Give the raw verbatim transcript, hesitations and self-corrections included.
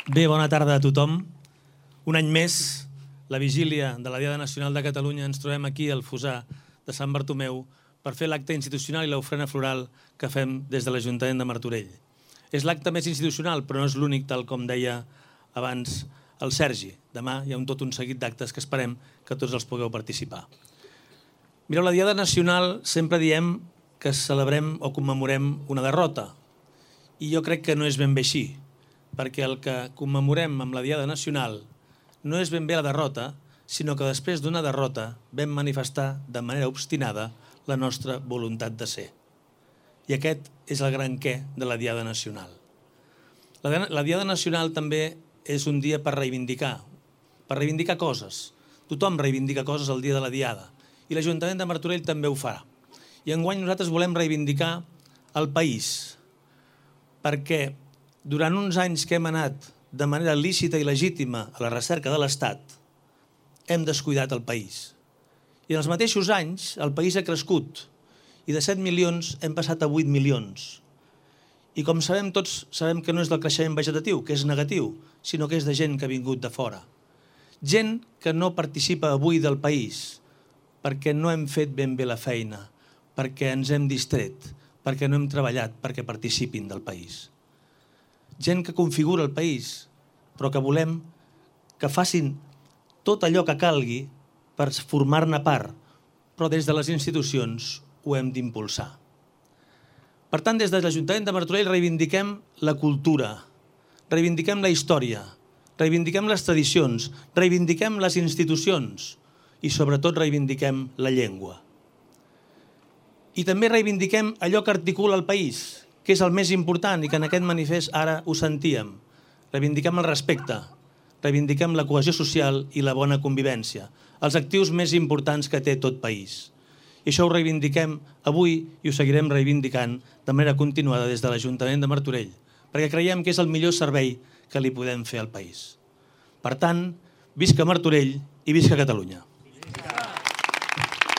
Bé, bona tarda a tothom. Un any més, la vigília de la Diada Nacional de Catalunya, ens trobem aquí al Fossar de Sant Bartomeu per fer l'acte institucional i l'ofrena floral que fem des de l'Ajuntament de Martorell. És l'acte més institucional, però no és l'únic, tal com deia abans el Sergi. Demà hi ha un tot un seguit d'actes que esperem que tots els pugueu participar. Mireu, la Diada Nacional sempre diem que celebrem o commemorem una derrota. I jo crec que no és ben bé així, perquè el que commemorem amb la Diada Nacional no és ben bé la derrota, sinó que després d'una derrota vam manifestar de manera obstinada la nostra voluntat de ser. I aquest és el gran què de la Diada Nacional. La Diada Nacional també és un dia per reivindicar, per reivindicar coses. Tothom reivindica coses el dia de la Diada, i l'Ajuntament de Martorell també ho farà. I enguany nosaltres volem reivindicar el país, perquè durant uns anys que hem anat de manera lícita i legítima a la recerca de l'Estat, hem descuidat el país. I en els mateixos anys el país ha crescut i de set milions hem passat a vuit milions. I com sabem tots, sabem que no és del creixement vegetatiu, que és negatiu, sinó que és de gent que ha vingut de fora. Gent que no participa avui del país perquè no hem fet ben bé la feina, perquè ens hem distret, perquè no hem treballat perquè participin del país. Gent que configura el país, però que volem que facin tot allò que calgui per formar-ne part, però des de les institucions ho hem d'impulsar. Per tant, des de l'Ajuntament de Martorell reivindiquem la cultura, reivindiquem la història, reivindiquem les tradicions, reivindiquem les institucions i sobretot reivindiquem la llengua. I també reivindiquem allò que articula el país, que és el més important i que en aquest manifest ara ho sentíem. Reivindiquem el respecte, reivindiquem la cohesió social i la bona convivència, els actius més importants que té tot país. I això ho reivindiquem avui i ho seguirem reivindicant de manera continuada des de l'Ajuntament de Martorell, perquè creiem que és el millor servei que li podem fer al país. Per tant, visca Martorell i visca Catalunya.